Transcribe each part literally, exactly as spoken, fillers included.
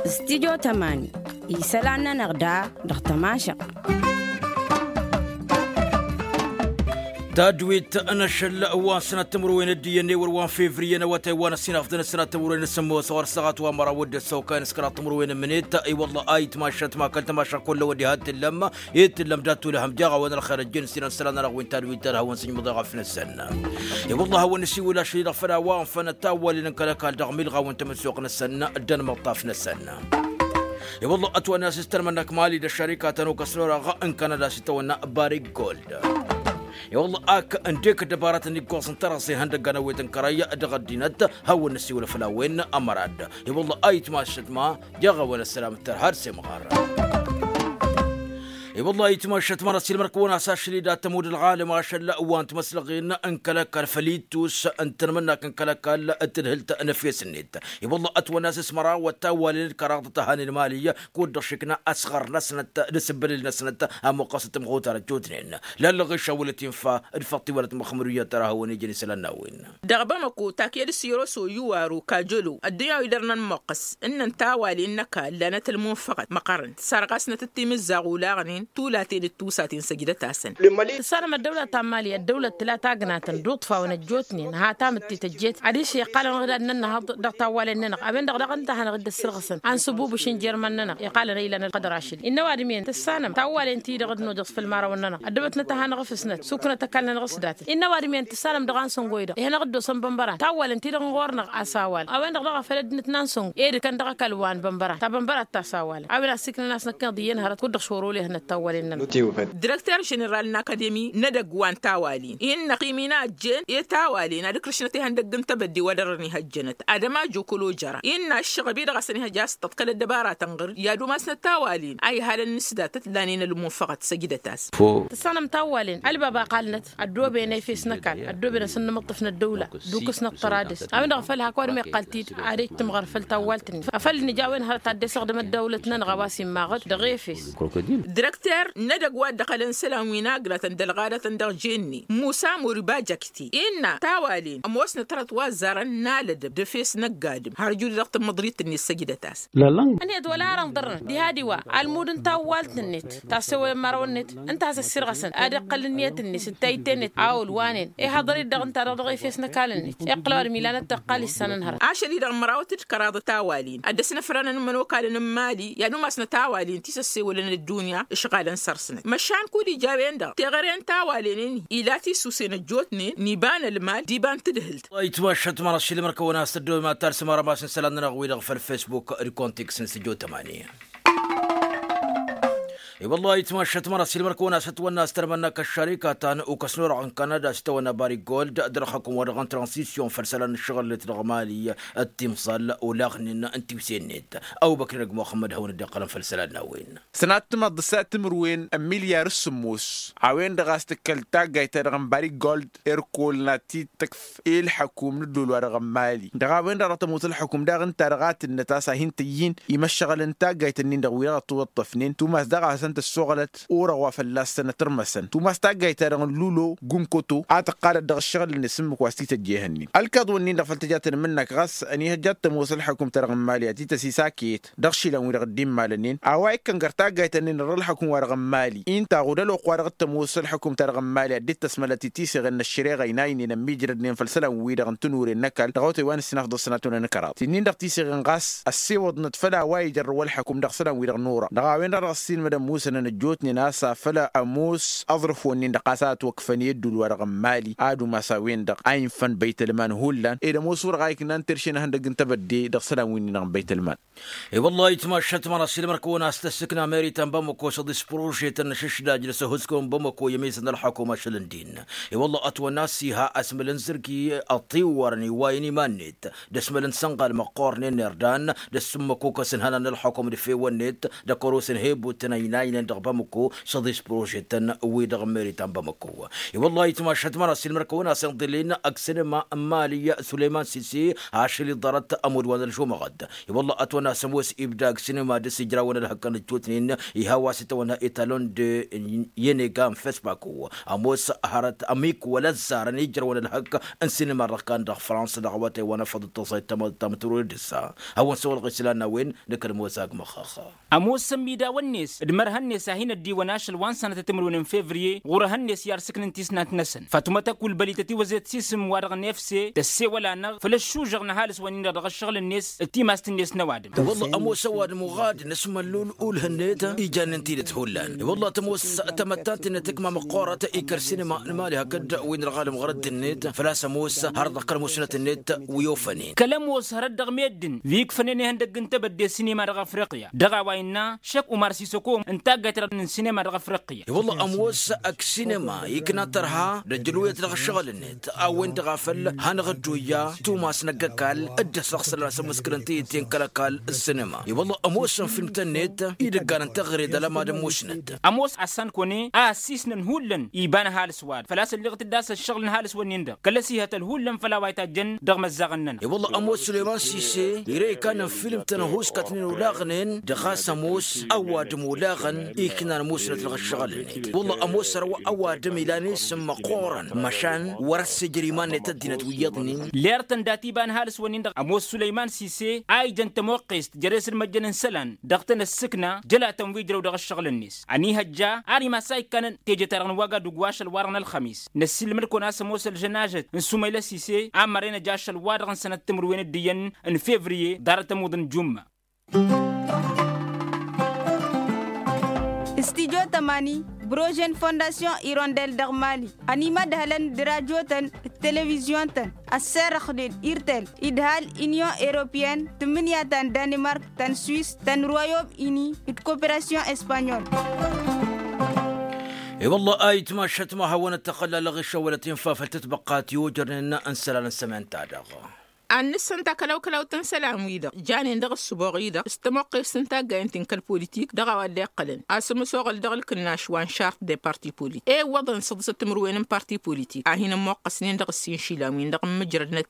Studio tămani. Isălan-nănăɣ da dăɣ-tămašăɣt. Tadwit n-ašăl wa n-sănat timǝrwen d-iyyăn ewăr wa n-fevriye n-awătay wa n-ăssinafḍăn s-sănat timǝrwen s-sămmos ɣur-săɣat wa n-măraw d-ăssokay n-s-kăraḍ timǝrwen n-mǝnet. I-wălla a itmašăt ma kăl-tămašăɣ kull ăwăddi ha t-tǝllăm. Itǝllăm dat-tulăhăm jaɣ a-wen ălxer ăjjăn s-inăn isălan-nănăɣ wi n-tadwit ad-hawăn-sǝjmǝḍ i-ɣăf-năsăn. I-wălla a hawăn-nǝsiwǝl ašăl-i-dăɣ făll-a-wa ănfănăt tawwalen n-kăl-ăkall dăɣ-milɣaw n-tamǝssoɣt-năsăn. Dd-ănmăṭṭaf-năsăn. I-wălla ătwănna a-s s-tărmănnăk mali d-ăššărika ta n-okăsnor-aɣ n-kanada a-s itawănna barik gold. I-wălla ak ǝndek ăddăbaratăn iggoẓ n-tărăẓe ihăndăggan ăwwet n-kărăy dăɣ-ăddinăt. Hawăn-nǝsiwǝl făll-a-wen ămărad. I-wălla a itmašăt ma jaɣ-a-wen ăssălam d-tărha d-semɣar. I-wălla a itmašăt ma n-ăssiilmăr-kăwăn-as ašăl-i dat-tămud ălɣalăm ašăl wa n-timăslăɣen n-kăl-ăkall făll-ittus n-tanmǝnnakt n-kăl-ăkall d-tadhǝlt n-efes-net. I-wălla ătwănna a-s s-măraw ăttawwalen d-kăraḍăt ăhanen mali kud-dăɣ šikna ăsɣăr-năsnăt d-asǝbbălil-năsnăt. Ămoqqăs timɣutar ăjjootnen lallăɣ išawălăt infa d-făṭṭiwălăt măxmăd uyyăt tărahăwăn ijăn isălan n-a-wen. Dăɣ-bamăko takyăd s-iroso iwaru kajălo ăddinyaw-i dăr-nănmăqqăs ǝnnăn tawalen n-ăkall lanăt ălmunfăɣăt măqqărăn tǝssarɣasnăt d-timǝzzaɣ olaɣnen tulaten d-tusaten săjdăt-asăn. Tǝssanăm ăddăwlăt ta n-mali ăddăwlăt tǝla tagnatăn d-uṭṭfawăn ăjjootnen ha-tamǝtte tăjjet adiš iqqalăn-dăɣ d-ad-nǝnnăhăḍ dăɣ-tawwalen-nănăɣ a-wen-dăɣ daɣ ǝnta a hanăɣ-dd-ăssǝlɣǝsăn a n-sǝbubǝš n-jer-iman-nănăɣ iqqalăn a ilan ălqădăr ašăl-i ǝnnăw adǝm-en tǝssanăm tawwalen-ti-dăɣ d-nojăẓ făll-imărawăn-nănăɣ ăddăbătnăt a hanăɣ-ǝfǝsnăt suknăt ăkall-nănăɣ s-datăt ǝnnăw adǝm-en tǝssanăm dăɣ-a n-săngoy-dăɣ ihănăɣ-dd-osăn bănbăran tawwalen-ti-dăɣ n-ɣur-năɣ a-s a ăwal a-wen-dăɣ daɣ a făl ăddinăt n-ansăngo ed kăn dăɣ-ăkall wa n-bănbăran ta bănbărat ta s-a ăwalăn a-wen a ǝssiknăn a-s năkkăneḍ iyyăn hărăt kud-dăɣ šorol ihănăt tawwalen-nănăɣ. Direkter ženeral n-akademi n-edăgg wa n-tawalen innă ăqqim-in a ăjjeen i-tawalen ad-ǝkrǝšnăt ihăndăgg n-tebădde wa dăr-ărăn ihăjjănăt adăma jokolo jăra innă ǝššăɣăb-i-dăɣ a-s ănihăj a-s tăḍkăl ăddăbaratăn ɣǝr-i ad-umasnăt tawalen a ihalăn n-s datăt lanen ălmunfăɣăt săjdăt-as. Tǝssanăm tawwalen ălbab a ăqqalnăt ăddooben efes n-ăkall ăddooben asǝnnǝmǝṭṭǝf n-ăddăwla d-ukǝsnăt tăra dăr-s a-wen-dăɣ a făl hak wa dăɣ-meqqal-t-dd ad-ejj tǝmɣăr făll-tawwalt-net a făl nǝja a-wen hărăt ad-dd-esăɣdăm ăddăwlăt-nănăɣ a-wa s-immaɣăt dăɣ-efes. Direkter n-edăgg wa dd-ăqqălăn isălan wi n-agnatăn d-ălɣadătăn dăɣ-jenne musa moriba jăkte innă tawalen ămoosnăt hărăt wa ăzzarăn n-alădăb d-efes n-ăgg-adǝm har ǝjud-i dăɣ-tǝmmǝḍrit-net săjdăt-as. Ănhăyăt wăla ara ǝnḍărnăt diha d-iwa ălmud n-tawwalt-net ta ăssewălăn imărawăn-net ǝnta a-s ăssirɣăsăn ad-iqqăl ǝnniyăt-net d-tayǝtte-net a ăwăl wa n-en ihaḍăr-dd dăɣ-ǝnta-dăɣ dăɣ-efes n-ăkall-net iqqăl ăwadǝm ilanăt tăqqal issanăn hărăt. Ašăl-i-dăɣ mărawăt d-kăraḍ tawalen ad-ăsnăfrănăn imănokalăn n-imali i-ad-umasnăt tawalen ti s-ăssewălăn ăddunya ǝšɣalăn săr-snăt măšan kud-ija a-wen-dăɣ teɣăre n-tawalen-in ila tisusen ăjjootnen n-iba n-ălmal d-iba n-tǝdhǝlt. Itmašăt măra s-ilmăr-kăwăn a-s tăddoy ma talsăm arămas n-isălan-nănăɣ-wi-dăɣ făll-fesbuk d-kontiks n-sǝjo tămani. I-wăllah itmašăt măra s-ilmăr-kăwăn a-s ătwănna a-s tărmănna kăššarika ta n-ukăs n-orăɣ n-kanada a-s itawănna bari gold dăr-ălxăkum wa dăɣ-n transisyun făll-isălan n-ǝššăɣǝl-net dăɣ-mali. Ăttimẓal olaɣnen n-tiwse-net ăbubăkr n-ăgg muxămmăd hawăn-dd-iqqălăn făll-isălan n-a-wen. Sănat timăḍt s-ad-timǝrwen n-milyar s-sǝmmos a-wen-dăɣ a-s tǝkkăl taggayt-ta-dăɣ n-bari gold irkol n-ad-t-tǝkf i-ǝlḥǝkum n-ǝddol-wa-dăɣ n-mali dăɣ-a-wen-dăɣ dăɣ-tămoos ǝlḥǝkum daɣ ǝnta dăɣ-a tǝnnăt a-s ad-hin-tǝyyǝn imăššăɣǝl n-taggayt-ǝnnin-dăɣ wi-dăɣ ătwăṭṭăfnen tumas daɣ a hasăn-tăssoɣălăt. Orăɣ wa fălla-săn ătărmăsăn tumas taggayt-ta-dăɣ n-lulo gunkoto a tǝqqalăt dăɣ-ǝššăɣǝl-net s-ǝmmǝk wa s-t-tăjjehăn-in ălkaḍ-wǝnnin-dăɣ făll-tǝja tănmǝnnăk ɣas ănihăjja ad-tămoos ǝlḥǝkum-ta-dăɣ n-mali ad-t-tăsisakăyăt dăɣ-išilan-wi-dăɣ dd-immalănen a-wa ikkăn găr taggayt-ǝnnin dăɣ-ǝlḥǝkum-wa-dăɣ n-mali. Inta ɣud ălwăqq-wa-dăɣ t-ămoos ǝlḥǝkum-ta-dăɣ n-mali ad-dd-tăsmălăt i-tiseɣen n-ăššăreɣa ăynaynen ămmiijrădnen făll-isălan-wi-dăɣ n-tănuren n-ăkall dăɣ-otay wa n-ǝssinafḍăs sănatăn n-kăraḍ ti-nin-dăɣ tiseɣen ɣas ăssewăḍnăt făll-a-wa ijărrăw ălḥǝkum dăɣ-isălan-wi-dăɣ n-orăɣ dăɣ-a-wen-dăɣ dăɣ-ăssiilmădăn musănăn ăjjootnen a-s afăl ămoos aẓrǝf-wǝnnin-dăɣ ɣas a ătwăkfăn i-ăddul-wa-dăɣ n-mali ad-umas a-wen-dăɣ a infăn băytălman hullan ed ămoos orăɣ a iknan terše n-ehăndăgg n-tebădde dăɣ-isălan-wi-nin-dăɣ n-băytălman. I-wăllah itmašăt măra s-ilmăr-kăwăn a-s tăssǝkna meri ta n-bamăko s-ăḍis pružetăn n-ašǝšdaj d-asăhusku n-bamăko i-ămizăn ălxăkum ašăl ǝndin. I-wăllah ătwănna s-iha asmǝl n-zǝrki ăṭṭiwwărăn iwwayăn iman-net d-asmǝl n-sănɣal măqqoornen n-irdan d-ăssǝmmăkukăs n-ihănan n-ălxăkum d-efewăn-net d-ăkăros n-hebut n-ăynay. inen dăɣ-bamăko s-aḍis prožetăn wi-dăɣ n-meri ta n-bamăko. I-wăllah itmašăt măra s-ilmăr-kăwăn-asăn ḍilin ăksinăma n-mali sulăyman sisi ašăl iḍarăt ămud wa n-ălžumăɣăt. I-wăllah ătwănna s-ămoos ibda ăksinăma dăr-s ijrawăn ălhăkkăn ăjjootnen iha wa s-itawănna etalon de yenega n-fesbako ămoos hărăt ămik wăla ăzzarăn ijrăwăn ălhăkk n-sinima dăɣ-kan dăɣ-frans dăɣ-awătay wa n-afăḍ d-tăẓayt tamăḍt tamătrurăd d-ǝssa. Hawăn-săwălɣ islan n-a-wen năkk ălmozag măxxăxxa. Ămoosăn midawăn-net d-mărhăn-net a hin-ăddiwăn ašăl wa n-sănătăt timǝrwen n-fevriye ɣur-ehăn-net i-arsǝknǝn tisnant-năsăn fătumăt ăkull bălităt iwăzet s-isǝm wa-dăɣ n-efse tăssewăl-anăɣ făll-ăššužăɣ n-ăhalǝs-wăn-in-dăɣ dăɣ-ăššăɣǝl-net d-timast-net n-ăwadǝm. Wălla ămoos ăwadǝm uɣad n-asmăllul ulh-net ijannen tidǝt hullan. Wălla tămoos tamăttant-net ǝkma măqqoorăt ikăr sinima n-mali hakd wi n-ălɣalăm ɣărădd-net făl-a-s ămoos hărăt dăɣ-kăl-musnăt-net wi ofănen. Kăl-ămoos hărăt dăɣ-meddǝn wi ǝkfănen ihăndăgg n-tebădde sinima dăɣ-afriqya dăɣ-a-wa innă šăkk umar sisăko n-taggayt-dăɣ n-sinima dăɣ-afriqya. Wălla ămoos ăksinema ikna tărha d-ăjjălwăyăt dăɣ-ăššăɣǝl-net a-wen-dăɣ a făl hanăɣ-dd-oyya tumas n-ăgg-ăkall dd-ăssaɣ sălan asămmăskǝlăn tiyǝtte n-kăl-ăkall ǝssinăma. I-wălla ămoosăn filmtăn-net idăggan n-teɣăre d-alămad n-musnăt. Ămoos assan kăwăn-e a ăssiisnăn hullan iba n-ăhalǝs-wa-dăɣ făl-a-s ălliɣăt-dd a-s ăššăɣǝl n-ăhalǝs-wǝnnin-dăɣ kăl-ăsihăt ălhullan făll-a-wa itajjăn dăɣ-imăzzaɣăn-nănăɣ. I-wălla ămoos sulăyman sise ire ikannan filmtăn ăhuuskătnen olaɣnen dăɣ-a-s ămoos ăwadǝm olaɣăn iknan musnăt dăɣ-ăššăɣǝl-net. Wălla ămoos ărwa ăwadǝm ilan isǝm măqqoorăn măšan wăr-ăssijăr iman-net ăddinăt wi iyyăḍnen. Ler-tăn dat-iba n-ăhalǝs-wǝnnin-dăɣ ămoos sulăyman sise a ijăn tămoqqest jer-e-s d-măjjăn n-isălan dăɣ-tăn ăssǝkna jălatăn wi ǝjrăw dăɣ-ăššăɣǝl-net. Ănihăjja ar imass a ikkanăn teje-ta-dăɣ n-wăgg ad-ugg wa ašăl-wa-dăɣ n-ălxămis năssiilmăd-kăwăn a-s ămoos ălžănažăt n-sumăyla sise a mărăynăj ašăl-wa-dăɣ n-sănăt timǝrwen d-iyyăn n-fevriye ḍarăt ămuḍ n-jumma. Stijo tămani brožen fondasyon irondel dăɣ-mali ănimădhălăn d-rajotăn d-televizyon-tăn ăssărăxnen irtel idhal inyon europyen tǝmmǝnǝya ta n-danimark ta n-swis ta n-royom ini d-koperasyon espanyol. I-wălla a itmašăt ma hawăn-ăttăxălla lăɣišăwălăt infa făll-tǝtbăqqa ti ojărnen n-isălan n-sămenta-dăɣ. Ad-nǝssănta kălaw-kălaw-tăn isălan-wi-dăɣ janen dăɣ-ăssǝboɣ-i-dăɣ s-tămoqqes n-taggayăn-t n-kăl-politik dăɣ-a-wa dd-iqqălăn a-s ămǝsoɣăl dăɣ-ǝlkǝnnaš wa n-šart de parti politik iwwăḍăn săḍǝsăt timǝrwen n-parti politik a hin-ămmoqqăsnen dăɣ-ǝssin išilan-win-dăɣ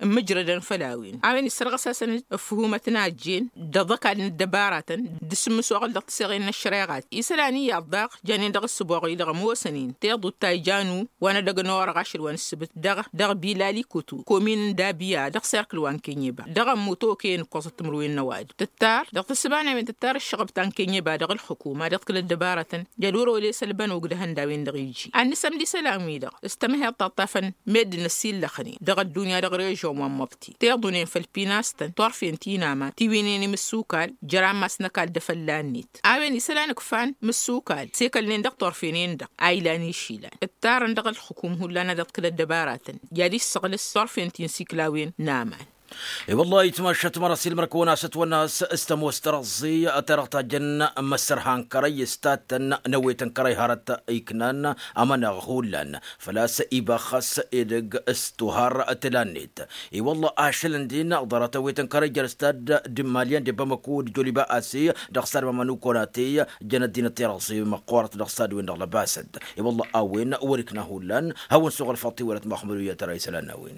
ǝmmǝjrădăn făll-a-wen a-wen issărɣăs-asăn ăffǝhumăt n-a ăjjeen d-aḍăkal n-ăddăbaratăn d-asǝmmǝsoɣăl dăɣ-tiseɣen n-ăššăreɣat isălan iyyăḍ daɣ janen dăɣ-ăssǝboɣ-i-dăɣ ămoosăn-in tiḍut ta ija n-u wa n-edăgg n-orăɣ ašăl wa n-ǝssǝbǝt dăɣ-bilali kutu komin n-dabiya dăɣ-serkǝl wa n-kenyeba dăɣ-ămmut okăyăn ǝkkoẓăt timǝrwen n-ăwadǝm tǝttar dăɣ-tǝssǝbana a-wen tǝttar ǝššăɣăb ta n-kenyeba dăɣ-ǝlxǝkuma dăɣ-t-kăl-ăddăbaratăn jăl wăr-oles ălbănog d-ehănd a-wen-dăɣ iji ad-nǝsămd isălan-wi-dăɣ s-tămăheḍt taṭṭafăn meddǝn ăsillăxnen dăɣ-ăddunya dăɣ-režon wa n-măbti tiḍunen făll-pinastăn turfen ti n-aman tiwǝynen imǝssukal jer-ammas n-ăkall d-afălla-net a-wen isălan ǝkfan mǝssukal s-ekălnen dăɣ-turfen-en-dăɣ a ilan išilan ǝttarăn dăɣ-ǝlxǝkum hullan a dăɣ-t-kăl-ăddăbaratăn i-ad-issăɣlǝs turfen ti n-siklawen n-aman. I-wăllah itmašăt măra s-ilmăr-kăwăn-asăt wănnas s-tămoos tărăẓẓi ta dăɣ-tajjăn măssărha n-kărăy s-tattăn n-ewet n-kărăy hărăt iknan amăneɣ hullan făl-a-s iba ɣas edăgg s-tuhar tǝla-net. I-wălla ašăl ǝndin ḍarăt ewet n-kărăy jer-stad d-malyan d-bamăko d-joliba asi dăɣ-stad mamănu konate jăn ăddinăt tirăẓi măqqoorăt dăɣ-stad-wen-dăɣ lăbasăt. I-wălla a-wen wăr-ikna hullan hawăn-suɣ ălfăḍ tiwălăt măxmăd u-iyyăt ăra isălan n-a-wen.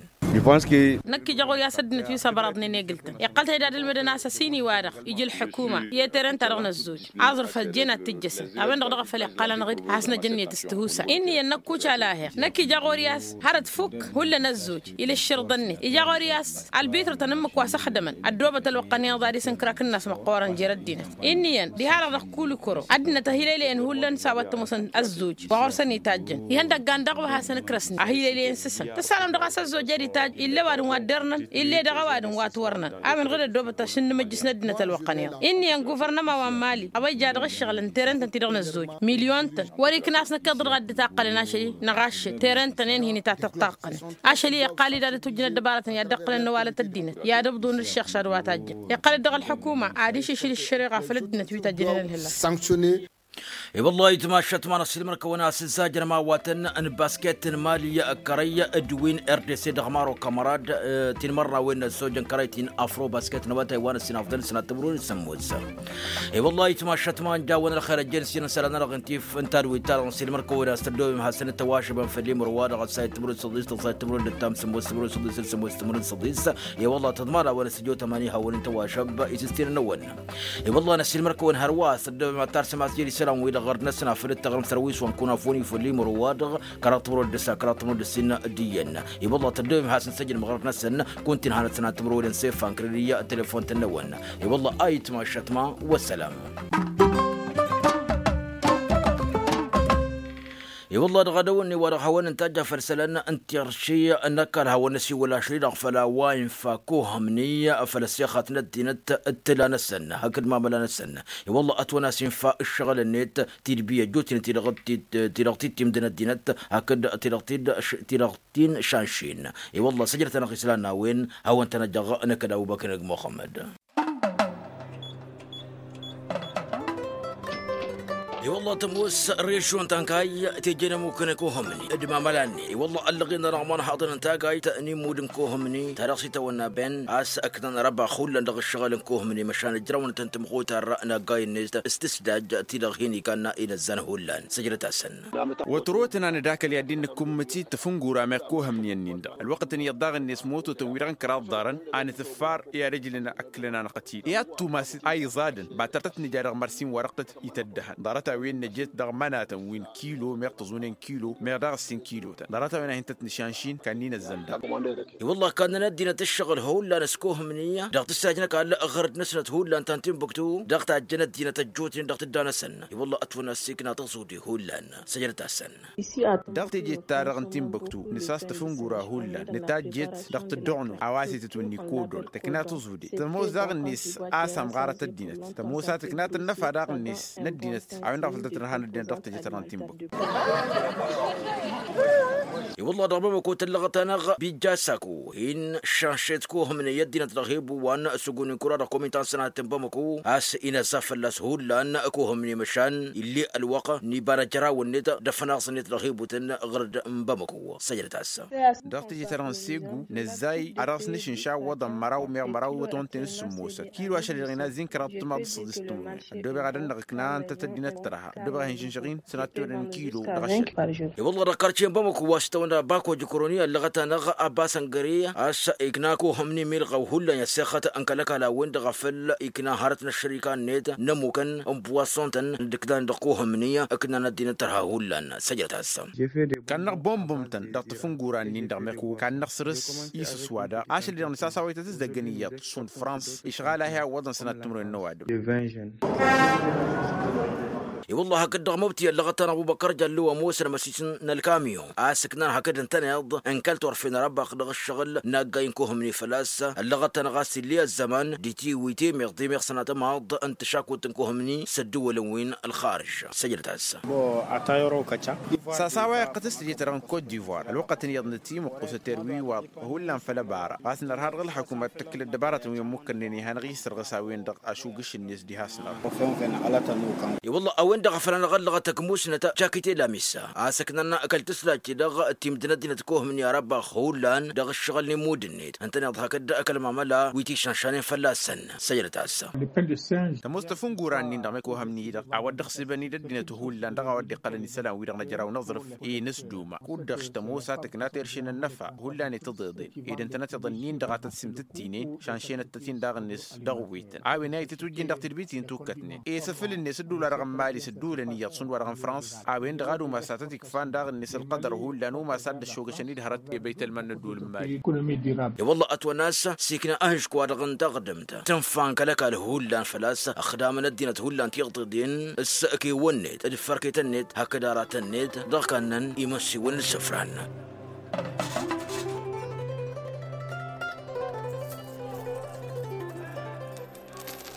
Năkk ija ɣur-i a-s ăddinăt wi s-ăbărăḍnen egǝl-tăn iqqăl-t ed ad-ǝlmǝdăn a-s ăsinǝy-wa-dăɣ ija ălḥukuma i-teren-ta-dăɣ n-ăzzoj aẓrǝf ăjjeen ad-t-ǝjjăsăn a-wen-dăɣ dăɣ-afăl iqqăl-anăɣ-dd a has-năj ǝnniyăt s-tihusa. Inn'-iyyăn năkk uca laheɣ năkk ija ɣur-i a-s hărăt fukk hullan ăzzoj ila ǝšširḍăn-net ija ɣur-i a-s ălbitrătăn ǝmmǝk wa s-ăxdămăn ăddoobăt ălwăqq-ănniḍa ad-isǝnkrak ǝnnas măqqoorăn jer-ăddinăt. Inn'-iyyăn diha-dăɣ dăɣ-kulikoro ăddinăt ăhilăylăyăn hullan s-a-wa t-ămoosăn ăzzoj wa ɣur-săn itajjăn ihăndăggan daɣ wa hasăn-ǝkrăsnen ăhilăylăyăn s-isăn tǝssanăm dăɣ-a-s ăzzoj ad-itajj ill'-e ăwadǝm wa dd-ărnăn ill'-e dăɣ-ăwadǝm wa ătwărnăn. A-wen ɣǝd ăddoobăt ašǝnnǝmăjjǝs n-ăddinăt ălwăqq-ăniḍ. Inn'-iyyăn guvărnăma wa n-mali a-wa ija dăɣ-ǝššăɣǝl n-terăntăn ti-dăɣ n-ăzzoj milyon-tăn wăr-ikna a-s năkk iḍǝl dăɣ-ad-dd-taqqălăn ašăl-i năɣ ašăl terăntăn-en hin-itattăɣ taqqălăn. Ašăl-i iqqal-dd ad-ătwǝjjǝn ăddăbarătăn i-ad-dd-ǝqqǝlăn n-ăwalăt ăddinăt i-ad-ǝbḍǝwăn d-ǝššăɣšad wa tajjăn iqqăl-dd dăɣ-ălḥukuma ad-išǝšǝl ǝššăreɣa făll-ăddinăt wi tajjăn ălhǝla. Sanctionner. I-wălla ayǝtmašat ma n-ăssiilmăr-kăwăn a-s ǝzzajăn ma wa tăn-n basket n-mali, kărăy d-win rdc dăɣ-maro kamarad. Tinmărnawen n-ăzzojăn kărăy ti n-afro basket n-awătay wa n-ăssinafḍăn s-nat timǝrwen s-sǝmmos. I-wălla ayǝtmašat ma n-jawăn ălxer ăjjeen s-inǝnsălan-nănăɣ n-tif n-tadwit-ta-dăɣ n-ăssiilmăr-kăwăn a-s tăddobem hasăn-tăwašăbăn făll-imǝrwa dăɣ-ăssayăt timǝrwen s-săḍis dăɣ-ăssayăt timǝrwen d-ăttam sǝmmos timǝrwen s-săḍis sămmos timǝrwen s-săḍis. I-wălla tăḍmad a-wen ăsjăw tămani hawăn-in-tăwašăb isǝstinăn-năwăn. I-wălla n-ăssiilmăr-kăwăn hărwa a-s tăddobem ad-tarsăm a-s jăr isălan-wi-dăɣ ɣărd-năsăn afăl d-taɣrǝmt sărwiswan kun afun ifulli mărwa-dăɣ kăraḍ timǝrwen d-ăssa kăraḍ timǝrwen d-ăssin d-iyyăn. I-wălla tăddobem hasăn-săjdăm ɣărd-năsăn kun tinhanăt sănat timǝrwen d-sefan kărăd iyyăn telefon-tăn-năwăn. I-wălla ayǝtmašat ma wăssălam. I-wălla dăɣ-adăwănne wa dăɣ-hawăn-ǝntajja făll-isălan n-tirši n-ăkall hawăn-năsiwăl ašri-dăɣ făll-a-wa infa kohămni făll-ăssexat n-ăddinăt d-tǝla-năsăn hakd mamăla-năsăn. I-wălla ătwăn-as infa ǝššăɣǝl-net tidbi ăjjootnen ti-dăɣ ti-dăɣ ti-timdăn ăddinăt hakd ti-dăɣ ti-dăɣ ti-dăɣ ti n-šanšin. I-wălla săjdăt-anăɣ isălan n-a-wen hawăn-tăn-ăjjăɣ năkk d-abubăknăg muxămmăd. I-wălla tămoos režyon ta n-kayy teje n-ămmuk n-kohămni d-mamăla-net. I-wălla ăllăɣen-anăɣ ma n-haḍăn n-tagayt n-immud n-kohămni ta dăɣ-s itawănna ben a-s ǝknan răbax hullan dăɣ-ǝššăɣǝl n-kohămni măšan ǝjrăwăn-tăn tǝmxutar n-aggay-net s-tǝsdaj ti-dăɣ hin-ikanna inăzzan hullan săjdăt-asăn. Wătro-tăn a nǝdakăl i-ad-dd-nǝkkummǝt-dd tafǝngura meɣ kohămni-ǝnnin-dăɣ ălwăqq-tăn iyyăḍ daɣ-net moto-tăn wi-dăɣ n-kăraḍ ḍarăn a nǝtǝffar i-ad-ăjlǝn ăkkǝlăn-anăɣ-t-dd i-ad-tumas a iẓadăn. Ba tăr-tăt-nǝja dăɣ-măr s-in-wa-dăɣ tăt-ităddăhăn ḍarăt-a-wen năjet dăɣ-mănatăn wi n-kilo meɣ tăẓunen kilo meɣ daɣ ǝssin kilo-tăn ḍarăt-a-wen a hin-tăt-nǝšanšin. Kannǝy n-ăzzăndăɣ. I-wălla kannăn ăddinăt ǝššăɣǝl hullan s-kohǝmni dăɣ-tǝssajnăk a ălɣărăt-năsnăt hullan ta n-timbuktu dăɣ-tajjăn ăddinăt ăjjootnen dăɣ-tǝdda-năsăn. I-wălla ătwănna s-ikna tăẓudi hullan săjdăt-asăn. Dăɣ-tejet-ta-dăɣ n-timbuktu nǝsas tafǝngura hullan nǝtajjet dăɣ-tǝdduɣnu a-wa s-itǝtwǝnni kodol tǝkna tăẓude tămoos daɣ-net a-s ămɣarăt ăddinăt tămoos a tǝkna tănnăfa daɣ-net n-ăddinăt a-wen-dăɣ făl tăt-nărhan ăddinăt dăɣ-tejet-ta-dăɣ n-timbuktu. I-wălla dăɣ-bamăko tăllăɣăt-anăɣ bijja saku hin-šanšet kohămne i-ăddinăt dăɣ-hebu wa n-săguni kura dăɣ-komitan sănatăn bamăko a-s inăzza fălla-s hullan kohămne măšan ill'-e ălwăqq n-iba n-ajărawăn-net d-afănaẓ-net dăɣ-hebutăn ɣărd n-bamăko săjdăt-as. Dăɣ-teje-ta-dăɣ n-segu năzzay ad-dăɣ-s nǝšǝnša iwwăḍăn măraw meɣ măraw iwwăḍăn-ten s-sǝmmosăn kilo ašăl-i-dăɣ inazzin kăraḍ timaḍ d-săḍis timǝrwen. Ăddoobeɣ ad-ănnăɣ ǝkna ǝnta tăddinăt tărha ăddoobeɣ ad-hin-šǝnšăɣ-in sănat tiwădăn kilo dăɣ-ašăl. I-wălla dăɣ-karce n-bamăko wa s-tawănna bako jikroni ăllăɣăt-anăɣ abbas ăngăre a-s ikna kohămni milɣăw hullan i-ăssexăt n-kăl-ăkall a-wen-dăɣ a făl ikna hărăt n-ăššărika-net n-ămmukăn n-buwassont-tăn d-ǝknan dăɣ-kohămni ǝknan ăddinăt tărha hullan săjdăt-as. Kannăɣ bombum-tăn dăɣ-tafǝngura-nin-dăɣ meɣ kannăɣ săr-s isǝswa daɣ ašăl-i-dăɣ nǝsas a-wa ităt-ǝzzăggăn iyyăḍ šund frans išɣal a hi-awwăḍăn sănat timǝrwen n-ăwadǝm. I-wălla hakd dăɣ-măbti ăllăɣăt-anăɣ bubăkăr jăllu ămoosăn măsis n-ălkamyon a-s ǝknan hakd ǝntăneḍ n-kăl-turfen răbax dăɣ-ǝššăɣǝl n-aggay n-kohămni făl-a-s ăllăɣăt-anăɣ a-s ill'-e ăzzăman d-itiwite meɣ d-imeɣ sănatămaḍ n-tǝšakut n-kohămni s-ădduwălăn wi n-ălxarǝž. Săjdăt-as. Sasa wa iqqăt s-tǝje-ta-dăɣ n-kot divoir ălwăqqăt n-iyyăḍ nǝtimǝqqus ăter wi iwaḍ hullan făll-ăbara ɣas nărha dăɣ-ălxăkumăt tǝkkǝl ăddăbaratăn wi ămmukkănnen i-hanăɣ-isǝrɣǝs a-wen-dăɣ ašugǝš-net diha-s-năɣ. I-wălla a-wen-dăɣ a făl anăɣ-ăllăɣăt ăgg musnăt jakite lamissa a-s ǝknăn kăl-tǝslajt-i-dăɣ timdǝn ăddinăt kohămni arăbbax hullan dăɣ-ǝššăɣǝl n-immud-net ǝntăneḍ hakd kăl-mamăla wi t-išănšanen fălla-săn. Săjdăt-as. Tămoos tafǝngura-nin-dăɣ meɣ kohămni-dăɣ a-wa dd-ăxsǝbăn-dd ăddinăt hullan dăɣ-a-wa dd-iqqălăn isălan-wi-dăɣ năjraw n-aẓrǝf i-inǝsduma kud-dăɣ tămoos a tǝkna terše n-ănnăfa hullan i-tiḍeḍen ed ǝntănăt iḍăn-nin-dăɣ a tăt-simtǝttinen šanšenăt-tăt daɣ-net dăɣ-wi-tăn a-wen a itǝtwǝjjin dăɣ-tidbit-in tukkătnen i-săfǝl-net ǝddul-wa-dăɣ n-mali s-ǝddulăn iyyăḍ šund wa-dăɣ n-frans. A-wen-dăɣ ad-umas a tăt-ikfan daɣ-net ălqădăr hullan umas ad-dd-ăššogăšăn-dd hărăt i-băytălman n-ăddul n-mali. I-wălla ătwănna a-s s-ikna ahǝžk-wa-dăɣ n-taɣdǝmt tǝnfa n-kăl-ăkall hullan făl-a-s ăxdamăn ăddinăt hullan tiḍeḍen s-kewăn-net d-fărketăn-net hakd aratăn-net dăɣ-kannăn imăssiwăn n-isǝfran.